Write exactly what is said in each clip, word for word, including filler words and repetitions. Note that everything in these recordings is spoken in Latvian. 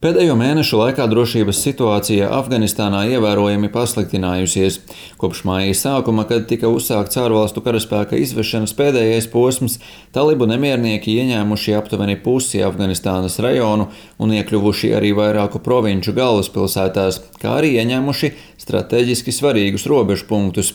Pēdējo mēnešu laikā drošības situācija Afganistānā ievērojami pasliktinājusies. Kopš māja sākuma, kad tika uzsākts ārvalstu karaspēka izvešanas pēdējais posms, talibu nemiernieki ieņēmuši aptuveni pusi Afganistānas rajonu un iekļuvuši arī vairāku provinču galvaspilsētās, kā arī ieņēmuši strateģiski svarīgus robežu punktus.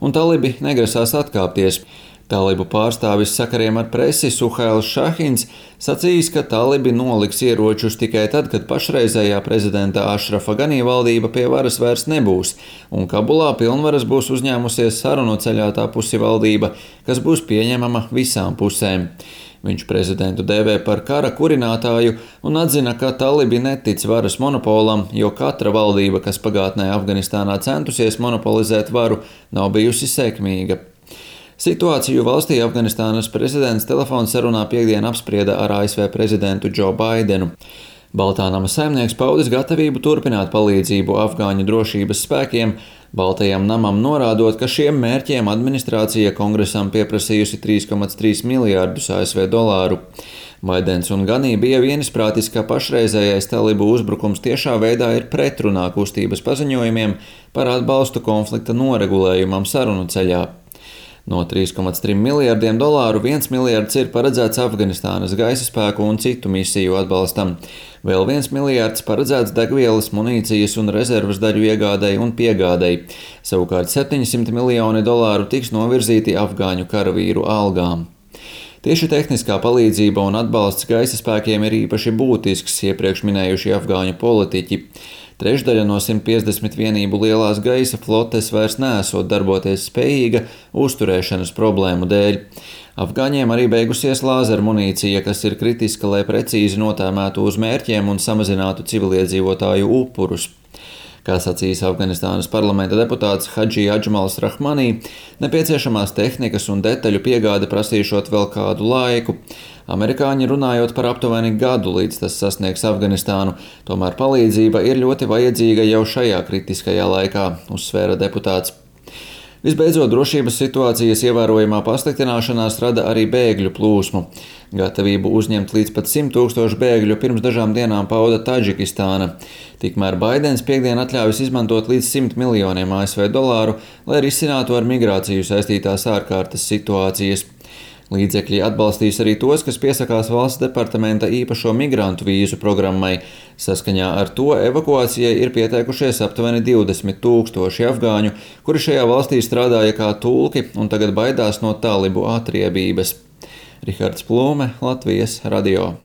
Un talibi negrasās atkāpties. Talibu pārstāvis sakariem ar presi Suhails Šahins sacījis, ka talibi noliks ieročus tikai tad, kad pašreizējā prezidenta Ašrafa Ganī valdība pie varas vairs nebūs, un Kabulā pilnvaras būs uzņēmusies sarunu ceļā tapusi valdība, kas būs pieņemama visām pusēm. Viņš prezidentu dēvē par kara kurinātāju un atzina, ka talibi netic varas monopolam, jo katra valdība, kas pagātnē Afganistānā centusies monopolizēt varu, nav bijusi sekmīga. Situāciju valstī Afganistānas prezidents telefonsarunā piektdien apsprieda ar A S V prezidentu Džo Baidenu. Baltā nama saimnieks paudis gatavību turpināt palīdzību afgāņu drošības spēkiem, Baltajam namam norādot, ka šiem mērķiem administrācija kongresam pieprasījusi trīs komats trīs miljārdus A S V dolāru. Baidens un Ganī bija vienisprātis, ka pašreizējais talibu uzbrukums tiešā veidā ir pretrunā kustības paziņojumiem par atbalstu konflikta noregulējumam sarunu ceļā. No trīs komats trīs miljārdiem dolāru viens miljards ir paredzēts Afganistānas gaisa spēku un citu misiju atbalstam. Vēl viens miljārds paredzēts degvielas, munīcijas un rezervas daļu iegādei un piegādei. Savukārt septiņsimt miljoni dolāru tiks novirzīti afgāņu karavīru algām. Tieši tehniskā palīdzība un atbalsts gaisa spēkiem ir īpaši būtisks, iepriekš minējuši afgāņu politiķi. Trešdaļa no simt piecdesmit vienību lielās gaisa flotes vairs neesot darboties spējīga uzturēšanas problēmu dēļ. Afgāņiem arī beigusies lāzeru munīcija, kas ir kritiska, lai precīzi notēmētu uz mērķiem un samazinātu civiliedzīvotāju upurus. Kā sacīs Afganistānas parlamenta deputāts Hadži Adžmals Rahmanī, nepieciešamās tehnikas un detaļu piegāde prasīšot vēl kādu laiku. Amerikāņi runājot par aptuveni gadu, līdz tas sasniegs Afganistānu, tomēr palīdzība ir ļoti vajadzīga jau šajā kritiskajā laikā, uzsvēra deputāts. Visbeidzot, drošības situācijas ievērojamā pasliktināšanās rada arī bēgļu plūsmu. Gatavību uzņemt līdz pat simt tūkstošu bēgļu pirms dažām dienām pauda Tadžikistāna. Tikmēr Baidens piekdien atļāvis izmantot līdz simt miljoniem A S V dolāru, lai risinātu ar migrāciju saistītās ārkārtas situācijas. Līdzekļi atbalstīs arī tos, kas piesakās valsts departamenta īpašo migrantu vīzu programmai. Saskaņā ar to evakuācijai ir pieteikušies aptuveni divdesmit tūkstoši afgāņu, kuri šajā valstī strādāja kā tulki un tagad baidās no talibu atriebības. Rihards Plūme, Latvijas radio.